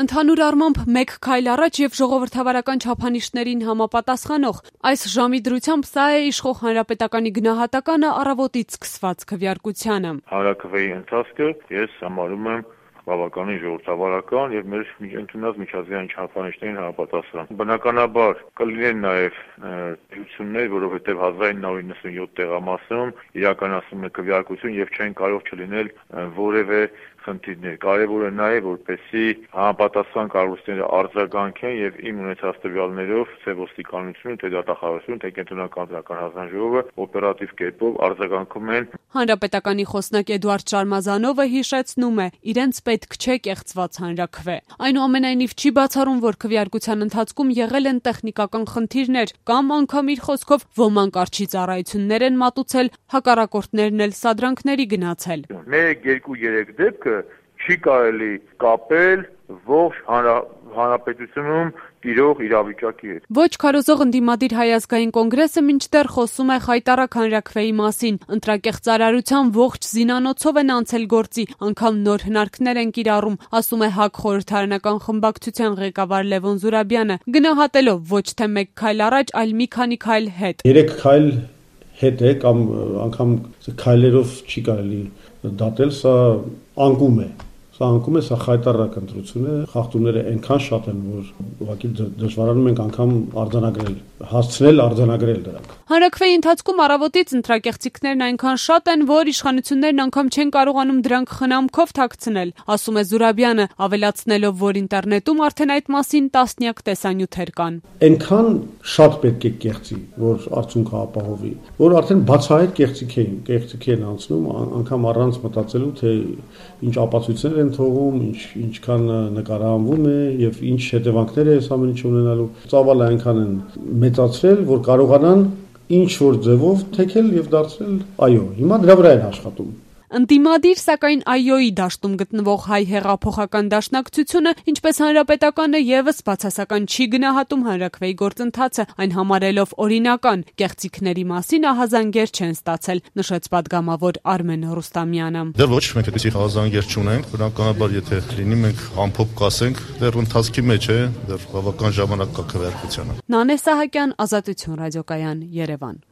Ընդհանուր առմամբ մեկ քայլ առաջ եւ ժողովրդավարական չափանիշներին համապատասխանող այս ժամի դրությամբ սա է իշխող հանրապետականի գնահատականը առավոտից սկսված քվեարկությանը։ Հանրաքվեի ընթացքը ես համարում եմ բավականին ժողովրդավարական եւ մեր ընդունած միջազգային չափանիշներին համապատասխան։ Բնականաբար կլինեն նաեւ դրություններ, որովհետեւ 1997 տեղամասում իրականացվում է քվեարկություն եւ չեն կարող չլինել որևէ խնդիրներ։ Կարևոր է նաեւ որպեսզի համապատասխան կառույցները արձագանքեն եւ իմ ունեցած տվյալներով Սևոստիկանությունը, թե դատախազությունը, թե կենտրոնական դրական հանձնաժողովը օպերատիվ կերպով արձագանքում են։ Հանրապետականի խոսնակ Էդուարդ Շարմազանովը հիշեցնում է, իրենց պետք չէ կեղծված հանրաքվե։ Այնուամենայնիվ չի բացառում, որ քվեարկության ընթացքում եղել են տեխնիկական խնդիրներ կամ անգամ իր խոսքով ոմանք արչի ծառայություններ են մատուցել, հակառակորդներն էլ սադրանքների գնացել։ 1-2-3 դեպքը չի կարելի կապել ողջ հանրապետությունում տիրող իրավիճակի հետ։ Ոչ քարոզող ընդդիմադիր Հայ ազգային կոնգրեսը մինչդեռ խոսում է խայտառակ հանրաքվեի մասին։ Ընտրակեղծարարության ողջ զինանոցով են անցել գործի, անգամ նոր հնարքներ են կիրառում, ասում է ՀԱԿ խորհրդարանական խմբակցության ղեկավար Լևոն Զուրաբյանը, գնահատելով ոչ թե մեկ քայլ առաջ, այլ մի քանի քայլ հետ։ 3 քայլ հետ է կամ անգամ քայլերով չի կարելի դատել, սա անկում է։ Սա խայտառակ ընտրություն է, խախտումները այնքան շատ են, որ ուղղակի դժվարանում ենք անգամ արձանագրել դրանք։ Հանրաքվեի ընթացքում առավոտից ընտրակեղծիքներն այնքան շատ են, որ իշխանություններն անգամ չեն կարողանում դրանք խնամքով թաքցնել, ասում է Զուրաբյանը, ավելացնելով, որ ինտերնետում արդեն այդ մասին տասնյակ տեսանյութեր կան։ Այնքան շատ պետք է կեղծի, որ արդյունքը ապահովի, որ արդեն բացահայտ կեղծիք են անցնում, անգամ առանց մտածելու, թե ինչ ապացույցներ են թողում, ինչքան նկարահանվում է եւ ինչ հետևանքներ է այս ամեն ինչը ունենալու։ Ծավալը այնքան են մեծացրել, որ կարողանան ինչ որ ձևով թեքել եւ դարձնել այո։ Հիմա դրա վրա են աշխատում։ Ընդդիմադիր, սակայն այոյի դաշտում գտնվող Հայ հեղափոխական դաշնակցությունը, ինչպես հանրապետականը, եւս բացասական չի գնահատում հանրաքվեի գործընթացը, այն համարելով օրինական, կեղծիքների մասին ահազանգեր չեն ստացել, նշեց պատգամավոր Արմեն Ռուստամյանը։ Դեռ ոչ մենք այդպիսի ահազանգեր չունենք, բնականաբար եթե լինի մենք ամփոփ կասենք, դեռ ընթացքի մեջ է, դեռ բավական ժամանակ կա քվեարկությանը։ Նանե Սահակյան, Ազատություն ռադիոկայան, Երևան։